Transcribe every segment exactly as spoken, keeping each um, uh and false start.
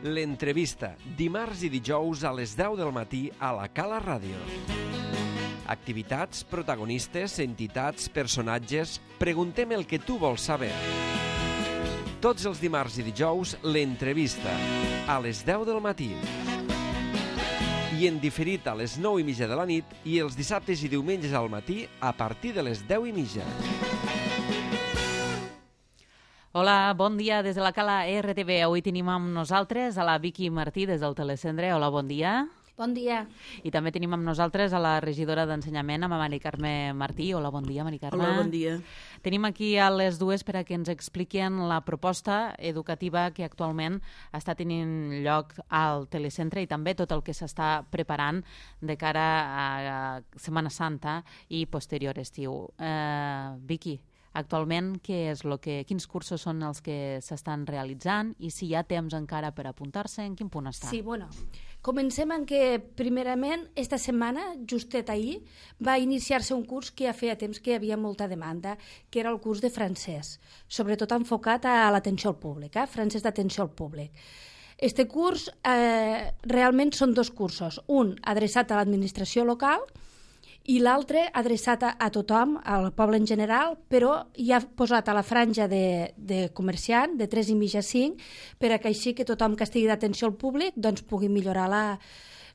L'entrevista, dimarts i dijous a les deu del matí a la Cala Ràdio. Activitats, protagonistes, entitats, personatges... Preguntem el que tu vols saber. Tots els dimarts i dijous, l'entrevista, a les deu del matí. I en diferit a les nou i mitja de la nit i els dissabtes i diumenges al matí a partir de les deu i mitja. Hola, bon dia des de la Cala R T V. Avui tenim amb nosaltres a la Vicky Martí des del Telecentre. Hola, bon dia. Bon dia. I també tenim amb nosaltres a la regidora d'Ensenyament, a Mari Carme Martí. Hola, bon dia, Mari Carme. Hola, bon dia. Tenim aquí a les dues per a que ens expliquen la proposta educativa que actualment està tenint lloc al Telecentre i també tot el que s'està preparant de cara a Setmana Santa i posterior estiu. Eh, Vicky, actualment, què és lo que, quins cursos són els que s'estan realitzant i si hi ha temps encara per apuntar-se, en quin punt està? Sí, bueno, comencem en que, primerament, esta setmana, justet ahir, va iniciar-se un curs que ja feia temps que hi havia molta demanda, que era el curs de francès, sobretot enfocat a l'atenció al públic, eh? francès d'atenció al públic. Este curs eh, realment són dos cursos, un adreçat a l'administració local i l'altre adreçat a, a tothom, al poble en general, però ja posat a la franja de, de comerciant, de tres i mitja a cinc, per a que així que tothom que estigui d'atenció al públic doncs pugui millorar la,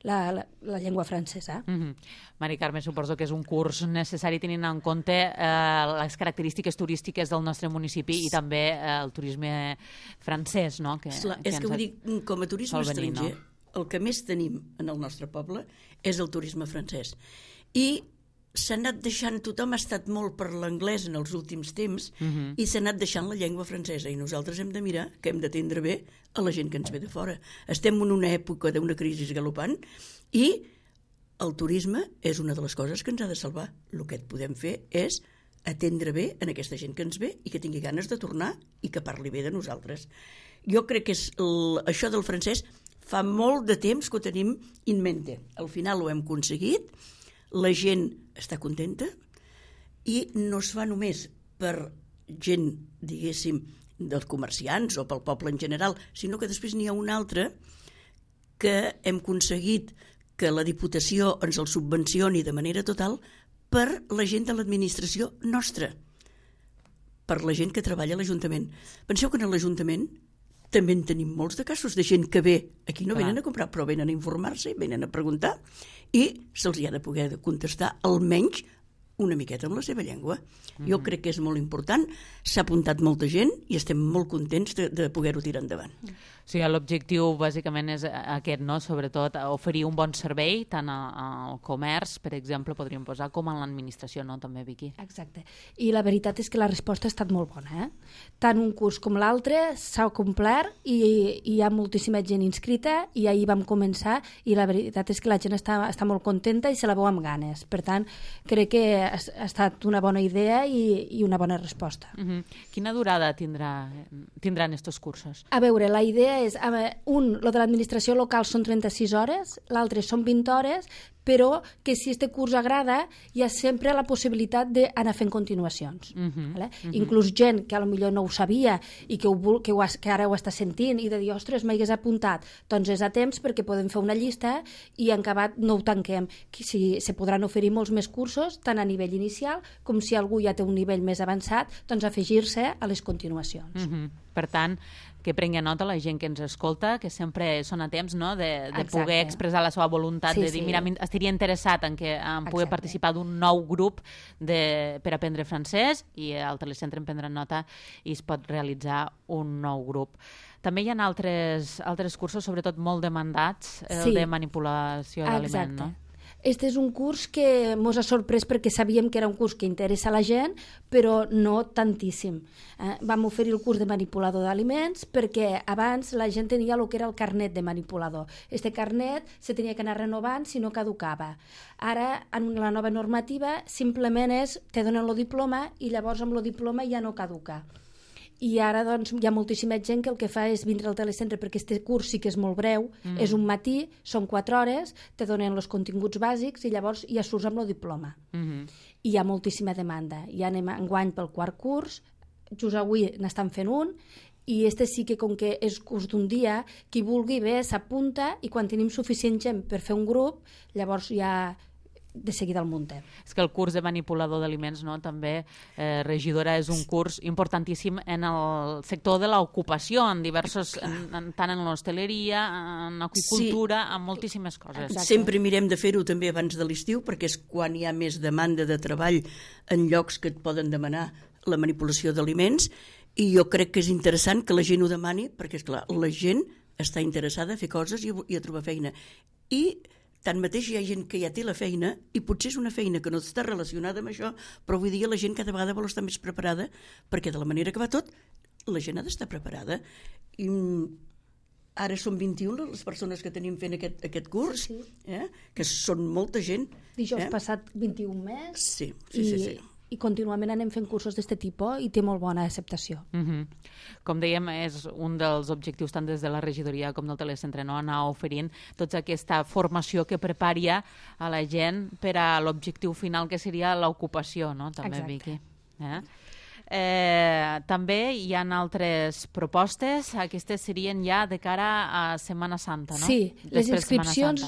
la, la, la llengua francesa. Mm-hmm. Mari Carme, suposo que és un curs necessari tenint en compte eh, les característiques turístiques del nostre municipi i també eh, el turisme francès, no? Que, Esclar, que és que vull dir, com a turisme venir, estranger, no? El que més tenim en el nostre poble és el turisme francès. I s'ha anat deixant, tothom ha estat molt per l'anglès en els últims temps uh-huh. i s'ha anat deixant la llengua francesa i nosaltres hem de mirar que hem d'atendre bé a la gent que ens ve de fora. Estem en una època d'una crisi galopant i el turisme és una de les coses que ens ha de salvar. El que podem fer és atendre bé en aquesta gent que ens ve i que tingui ganes de tornar i que parli bé de nosaltres. Jo crec que és el, això del francès fa molt de temps que ho tenim in mente. Al final ho hem aconseguit, la gent està contenta i no es fa només per gent, diguéssim, dels comerciants o pel poble en general, sinó que després n'hi ha una altra que hem aconseguit que la Diputació ens el subvencioni de manera total per la gent de l'administració nostra, per la gent que treballa a l'Ajuntament. Penseu que en l'Ajuntament també en tenim molts de casos de gent que ve, aquí no Clar. Venen a comprar, però venen a informar-se, venen a preguntar i se'ls hi ha de poder contestar almenys una miqueta en la seva llengua. Mm-hmm. Jo crec que és molt important, s'ha apuntat molta gent i estem molt contents de, de poder-ho tirar endavant. Sí, l'objectiu bàsicament és aquest, no? Sobretot oferir un bon servei tant al comerç, per exemple, podríem posar, com a l'administració, no? També, Vicky. Exacte. I la veritat és que la resposta ha estat molt bona, eh? Tant un curs com l'altre s'ha complert i, i hi ha moltíssima gent inscrita i ahir vam començar i la veritat és que la gent està, està molt contenta i se la veu amb ganes. Per tant, crec que ha, ha estat una bona idea i, i una bona resposta. Mm-hmm. Quina durada tindrà, tindran estos cursos? A veure, la idea és, un, lo de l'administració local són trenta-sis hores, l'altre són vint hores, però que si este curs agrada hi ha sempre la possibilitat d'anar fent continuacions. Uh-huh, vale? uh-huh. Inclús gent que potser no ho sabia i que, ho, que, ho, que ara ho està sentint i de dir, ostres, m'hagués apuntat, doncs és a temps perquè podem fer una llista i en acabat no ho tanquem. Si, se podran oferir molts més cursos, tant a nivell inicial com si algú ja té un nivell més avançat, doncs afegir-se a les continuacions. Uh-huh. Per tant, que prengui nota la gent que ens escolta, que sempre són a temps, no? de, de poder expressar la seva voluntat, sí, de dir, sí. mira, estaria interessat en, que, en poder Exacte. Participar d'un nou grup de, per aprendre francès i al Telecentre en prendran nota i es pot realitzar un nou grup. També hi ha altres, altres cursos, sobretot molt demandats, el sí. de manipulació d'aliment, no? Este és un curs que ens ha sorprès perquè sabíem que era un curs que interessa a la gent, però no tantíssim. Eh, vam oferir el curs de manipulador d'aliments perquè abans la gent tenia el que era el carnet de manipulador. Este carnet se tenia que anar renovant si no caducava. Ara, en la nova normativa, simplement és, te donen el diploma i llavors amb el diploma ja no caduca. I ara doncs, hi ha moltíssima gent que el que fa és vindre al telecentre perquè este curs sí que és molt breu, mm. és un matí, són quatre hores, te donen els continguts bàsics i llavors ja surts amb el diploma. Mm-hmm. I hi ha moltíssima demanda. Ja anem enguany pel quart curs, just avui n'estan fent un i este sí que, com que és curs d'un dia, qui vulgui bé s'apunta i quan tenim suficient gent per fer un grup, llavors ja de seguida el muntem. És que el curs de manipulador d'aliments, no, també, eh, regidora, és un curs importantíssim en el sector de l'ocupació, en diversos, en, en, tant en l'hostaleria, en aquicultura, sí. en moltíssimes coses. Exacte. Sempre mirem de fer-ho també abans de l'estiu, perquè és quan hi ha més demanda de treball en llocs que et poden demanar la manipulació d'aliments, i jo crec que és interessant que la gent ho demani, perquè, esclar, la gent està interessada a fer coses i a, i a trobar feina. I tanmateix hi ha gent que ja té la feina i potser és una feina que no està relacionada amb això, però avui dia la gent cada vegada vol estar més preparada, perquè de la manera que va tot, la gent ha d'estar preparada. I ara són vint-i-u les persones que tenim fent aquest, aquest curs, sí. eh? que són molta gent. Dijous eh? passat vint-i-un més. Sí, sí, i... sí. sí. i contínuament anem fent cursos d'aquest tipus i té molt bona acceptació. Uh -huh. Com dèiem, és un dels objectius tant des de la regidoria com del telecentre, no? Anar oferint tota aquesta formació que prepari a la gent per a l'objectiu final, que seria l'ocupació, no? També, exacte. Vicky. Eh? Eh, també hi ha altres propostes, aquestes serien ja de cara a Setmana Santa, no? Sí, Després les inscripcions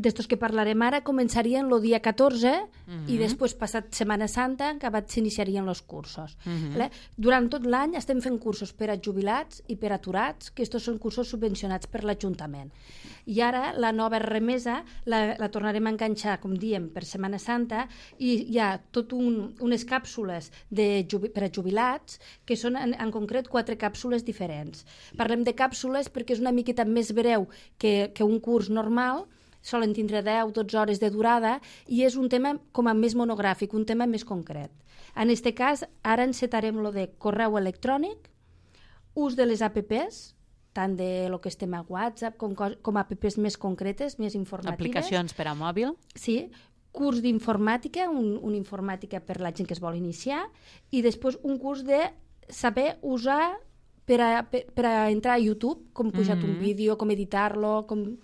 d'estos que parlarem ara començarien el dia catorze uh -huh. i després, passat Setmana Santa, acabat s'iniciarien els cursos. Uh -huh. Durant tot l'any estem fent cursos per a jubilats i per a aturats, que estos són cursos subvencionats per l'Ajuntament. I ara la nova remesa la, la tornarem a enganxar, com diem, per Setmana Santa, i hi ha tot un, unes càpsules de jubi, per a jubilats, que són en, en concret quatre càpsules diferents. Parlem de càpsules perquè és una miqueta més breu que, que un curs normal, solen tindre deu a dotze hores de durada, i és un tema com a més monogràfic, un tema més concret. En aquest cas, ara encetarem lo de correu electrònic, ús de les apps, tant de lo que estem a WhatsApp com, com apps més concretes, més informatives. Aplicacions per a mòbil. Sí, curs d'informàtica, un, un informàtica per la gent que es vol iniciar, i després un curs de saber usar per a, per, per a entrar a YouTube, com pujar mm-hmm. un vídeo, com editar-lo, com...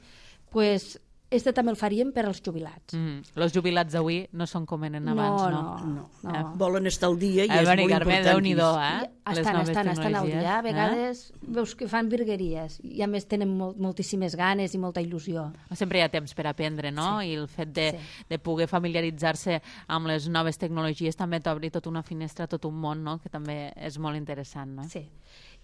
Pues, este també el faríem per als jubilats. Mm. Els jubilats d'avui no són com eren abans, no? No, no. no. Eh? Volen estar al dia i eh, és molt Carme, important. Déu-n'hi-do, eh? Estan, estan, estan al dia. A vegades eh? veus que fan virgueries i a més tenen molt, moltíssimes ganes i molta il·lusió. Sempre hi ha temps per aprendre, no? Sí. I el fet de, sí. de poder familiaritzar-se amb les noves tecnologies també t'obri tota una finestra, tot un món, no? Que també és molt interessant, no? Sí.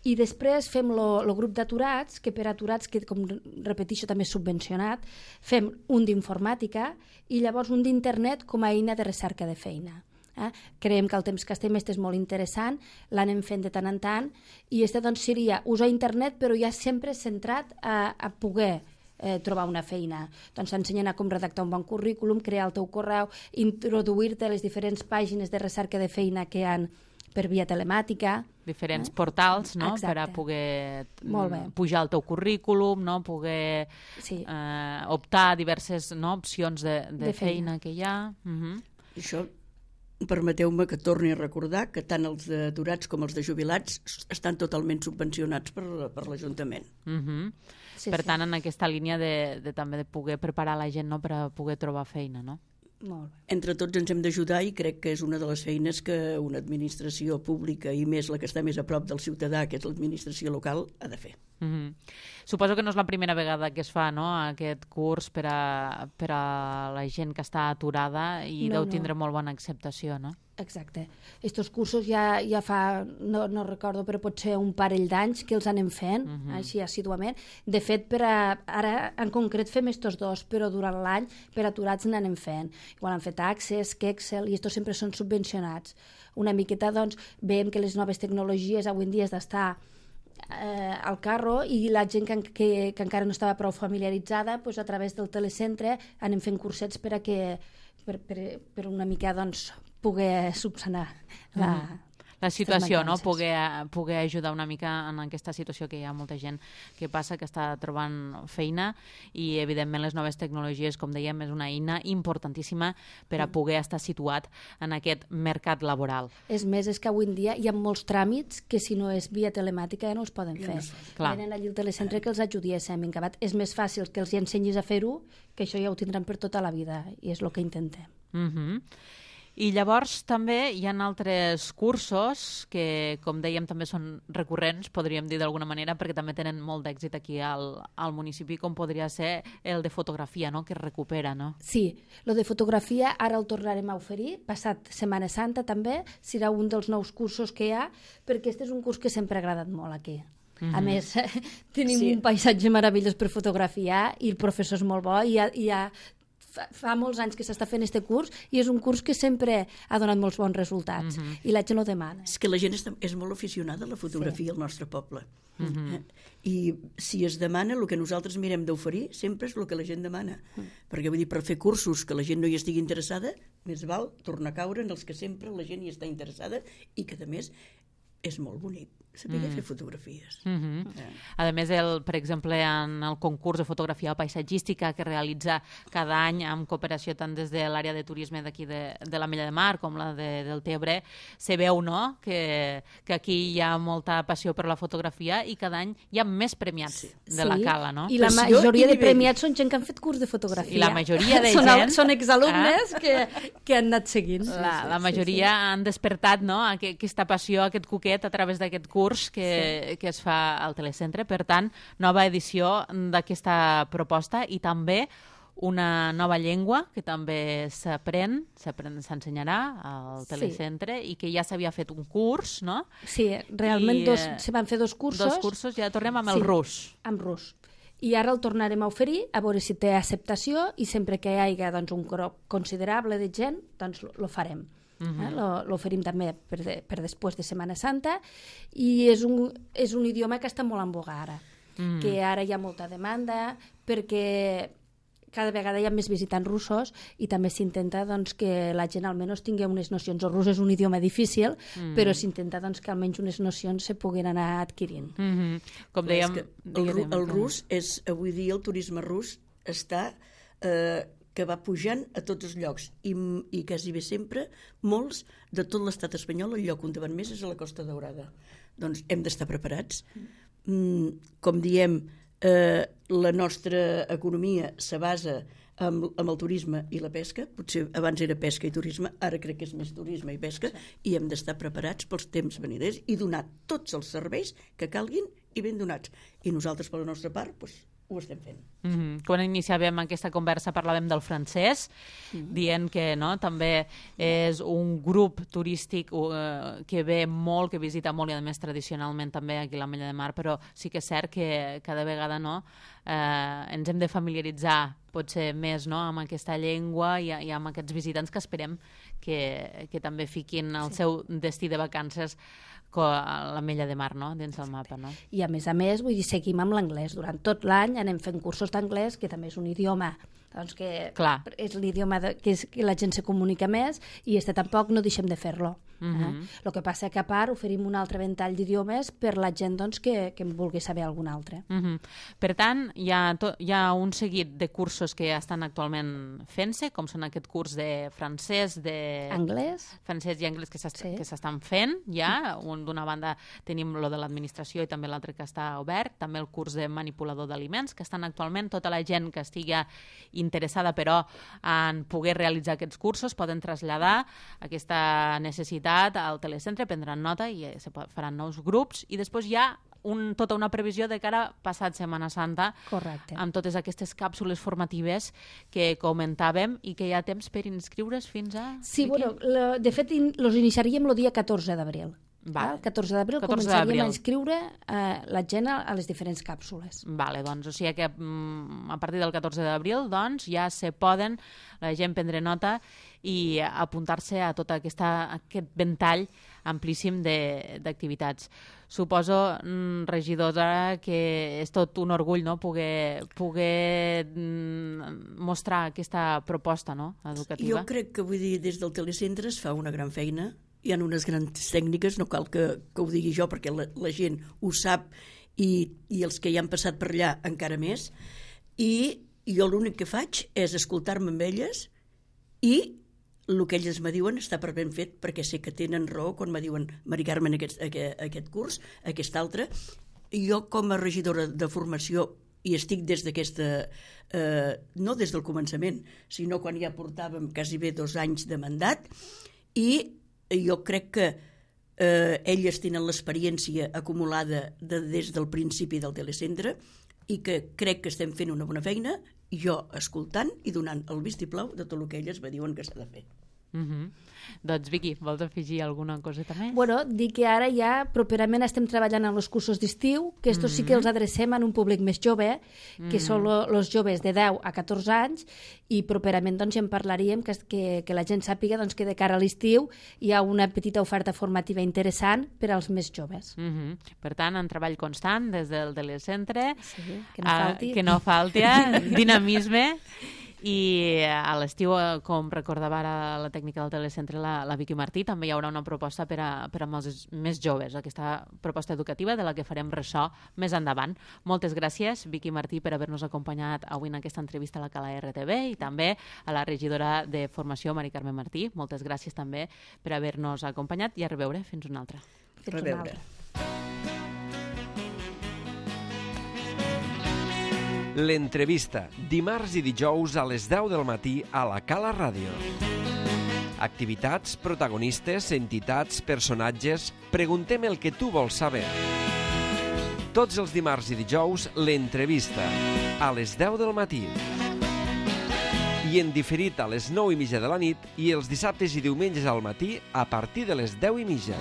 I després fem el grup d'aturats, que per aturats, que com repeteixo també és subvencionat, fem un d'informàtica i llavors un d'internet com a eina de recerca de feina. Eh? Creiem que el temps que estem este és molt interessant, l'anem fent de tant en tant, i este doncs seria usar internet però ja sempre centrat a, a poder eh, trobar una feina. Doncs t'ensenyen a com redactar un bon currículum, crear el teu correu, introduir-te a les diferents pàgines de recerca de feina que hi ha per via telemàtica. Diferents eh? portals, no? Exacte. Per a poder Molt bé. pujar el teu currículum, no? Poder sí. eh, optar a diverses no? opcions de, de, de feina. feina que hi ha. Uh-huh. Això, permeteu-me que torni a recordar que tant els d'aturats com els de jubilats estan totalment subvencionats per, per l'Ajuntament. Uh-huh. Sí, per sí. tant, en aquesta línia de, de, també de poder preparar la gent, no? Per a poder trobar feina, no? Molt bé. Entre tots ens hem d'ajudar i crec que és una de les feines que una administració pública i més la que està més a prop del ciutadà, que és l'administració local, ha de fer. Mm-hmm. Suposo que no és la primera vegada que es fa, no?, aquest curs per a, per a la gent que està aturada i no, deu no. tindre molt bona acceptació, no? Exacte. Estos cursos ja, ja fa, no, no recordo, però pot ser un parell d'anys que els anem fent, uh-huh. així assiduament. De fet, per a, ara en concret fem estos dos, però durant l'any per aturats n'anem fent. Igual han fet Access, Kexel, i estos sempre són subvencionats. Una miqueta, doncs, veiem que les noves tecnologies avui en dia has d'estar eh, al carro i la gent que, que, que encara no estava prou familiaritzada, doncs, a través del telecentre anem fent cursets per a que per, per, per una mica, doncs, poder subsanar la, mm. la situació, no? Poder, poder ajudar una mica en aquesta situació que hi ha molta gent que passa, que està trobant feina, i evidentment les noves tecnologies, com dèiem, és una eina importantíssima per a poder estar situat en aquest mercat laboral. És més, és que avui en dia hi ha molts tràmits que si no és via telemàtica ja no els poden fer. Clar. Venen allí al telecentre que els ajudiéssim. En acabat és més fàcil que els hi ensenyis a fer-ho, que això ja ho tindran per tota la vida, i és el que intentem. Mhm. I llavors també hi ha altres cursos que, com dèiem, també són recurrents, podríem dir d'alguna manera, perquè també tenen molt d'èxit aquí al, al municipi, com podria ser el de fotografia, no?, que es recupera, no? Sí, el de fotografia ara el tornarem a oferir, passat Setmana Santa també, serà un dels nous cursos que hi ha, perquè este és un curs que sempre ha agradat molt aquí. Mm-hmm. A més, tenim sí. un paisatge meravellós per fotografiar i el professor és molt bo i hi ha, hi ha fa molts anys que s'està fent aquest curs i és un curs que sempre ha donat molts bons resultats mm-hmm. i la gent ho demana. És que la gent és, és molt aficionada a la fotografia sí. al nostre poble. Mm-hmm. I si es demana, el que nosaltres mirem d'oferir sempre és el que la gent demana. Mm. Perquè vull dir, per fer cursos que la gent no hi estigui interessada, més val tornar a caure en els que sempre la gent hi està interessada i que, a més, és molt bonic saber mm. fer fotografies. Mm-hmm. eh. A més, el, per exemple, en el concurs de fotografia paisatgística que realitza cada any amb cooperació tant des de l'àrea de turisme d'aquí de, de l'Ametlla de Mar com la de, del Tebre, se veu, no?, que, que aquí hi ha molta passió per la fotografia i cada any hi ha més premiats sí. de sí. la Cala, no? I la majoria de premiats són gent que han fet curs de fotografia. Sí. I la majoria de són, gent... Són exalumnes eh? que, que han anat seguint. La, sí, sí, la majoria sí, sí. han despertat, no?, aquesta passió, aquest coquet a través d'aquest curs que, sí. que es fa al telecentre. Per tant, nova edició d'aquesta proposta i també una nova llengua que també s'aprèn, s'ensenyarà al telecentre sí. i que ja s'havia fet un curs, no? Sí, realment I, dos, se van fer dos cursos. Dos cursos, ja tornem amb sí, el rus. Amb rus. I ara el tornarem a oferir, a veure si té acceptació i sempre que hi hagi doncs, un grup considerable de gent, doncs lo farem. Uh-huh. eh? L'oferim també per, de, per després de Setmana Santa i és un, és un idioma que està molt en boga ara, uh-huh. que ara hi ha molta demanda perquè cada vegada hi ha més visitants russos i també s'intenta doncs, que la gent almenys tingui unes nocions. El rus és un idioma difícil, uh-huh. però s'intenta doncs, que almenys unes nocions se puguin anar adquirint. Uh-huh. Com dèiem... El, el, el rus és, avui dia el turisme rus està... Eh, que va pujant a tots els llocs i, i quasi bé sempre molts de tot l'estat espanyol, el lloc on van més és a la Costa Daurada. Doncs hem d'estar preparats. Mm, com diem, eh, la nostra economia se basa amb, amb el turisme i la pesca. Potser abans era pesca i turisme, ara crec que és més turisme i pesca, sí. i hem d'estar preparats pels temps veniders i donar tots els serveis que calguin i ben donats. I nosaltres, per la nostra part, doncs, ho estem fent. Mm-hmm. Quan iniciàvem aquesta conversa parlàvem del francès, mm-hmm. dient que no, també és un grup turístic uh, que ve molt, que visita molt i a més tradicionalment també aquí a l'Ametlla de Mar, però sí que és cert que cada vegada no, uh, ens hem de familiaritzar potser més no, amb aquesta llengua i, i amb aquests visitants que esperem que, que també fiquin el sí. seu destí de vacances a l'Ametlla de Mar, no? Dins del mapa, no? I a més a més, vull dir, seguim amb l'anglès. Durant tot l'any anem fent cursos d'anglès, que també és un idioma doncs que Clar. és l'idioma que, és, que la gent se comunica més i este tampoc no deixem de fer-lo. Mm-hmm. eh? El que passa que a part oferim un altre ventall d'idiomes per la gent doncs, que, que en vulgui saber algun altre. Mm-hmm. Per tant, hi ha, to, hi ha un seguit de cursos que estan actualment fent-se, com són aquest curs de francès, de... Anglès. Francès i anglès que s'estan sí. fent, ja. Un, d'una banda tenim lo de l'administració i també l'altre que està obert, també el curs de manipulador d'aliments, que estan actualment tota la gent que estigui interessada però en poder realitzar aquests cursos poden traslladar aquesta necessitat al telecentre, prendran nota i se faran nous grups i després hi ha un, tota una previsió de cara passat Setmana Santa. Correcte. Amb totes aquestes càpsules formatives que comentàvem i que hi ha temps per inscriure's fins a... Sí, bueno, la, de fet in, los iniciaríem el dia catorze d'abril. Vale. El catorze d'abril començaríem a inscriure eh, la gent a, a les diferents càpsules. Vale, doncs, o sigui que mm, a partir del catorze d'abril doncs, ja se poden la gent prendre nota i apuntar-se a tot aquesta, aquest ventall amplíssim d'activitats. Suposo, mm, regidora, que és tot un orgull no? poder, poder mm, mostrar aquesta proposta no? educativa. Jo crec que vull dir, des del telecentre es fa una gran feina. Hi ha unes grans tècniques, no cal que, que ho digui jo perquè la, la gent ho sap i, i els que hi han passat per allà encara més, i jo l'únic que faig és escoltar-me amb elles i el que elles me diuen està per ben fet perquè sé que tenen raó quan me diuen Mari Carmen aquest, aquest, aquest curs, aquest altre. Jo com a regidora de formació i estic des d'aquesta... Eh, no des del començament, sinó quan ja portàvem quasi bé dos anys de mandat, i jo crec que eh, elles tenen l'experiència acumulada de, des del principi del telecentre i que crec que estem fent una bona feina, jo escoltant i donant el vistiplau de tot el que elles me diuen que s'ha de fer. Mm-hmm. Doncs Vicky, vols afegir alguna coseta més? Bueno, dir que ara ja properament estem treballant en els cursos d'estiu, que estos mm-hmm. sí que els adrecem en un públic més jove, que mm-hmm. són els joves de deu a catorze anys, i properament doncs, ja en parlaríem, que, que, que la gent sàpiga doncs, que de cara a l'estiu hi ha una petita oferta formativa interessant per als més joves. Mm-hmm. Per tant, en treball constant des del telecentre, sí, que no falti, uh, que no falti dinamisme. I a l'estiu, com recordava ara la tècnica del telecentre, la, la Vicky Martí, també hi haurà una proposta per a, per a els més joves, aquesta proposta educativa de la que farem ressò més endavant. Moltes gràcies, Vicky Martí, per haver-nos acompanyat avui en aquesta entrevista a la Cala R T V, i també a la regidora de Formació, Mari Carme Martí. Moltes gràcies també per haver-nos acompanyat, i a reveure. Fins una altra. Fins una altra. L'entrevista, dimarts i dijous a les deu del matí a la Cala Ràdio. Activitats, protagonistes, entitats, personatges... Preguntem el que tu vols saber. Tots els dimarts i dijous, l'entrevista, a les deu del matí. I en diferit a les nou i mitja de la nit, i els dissabtes i diumenges al matí a partir de les deu i mitja.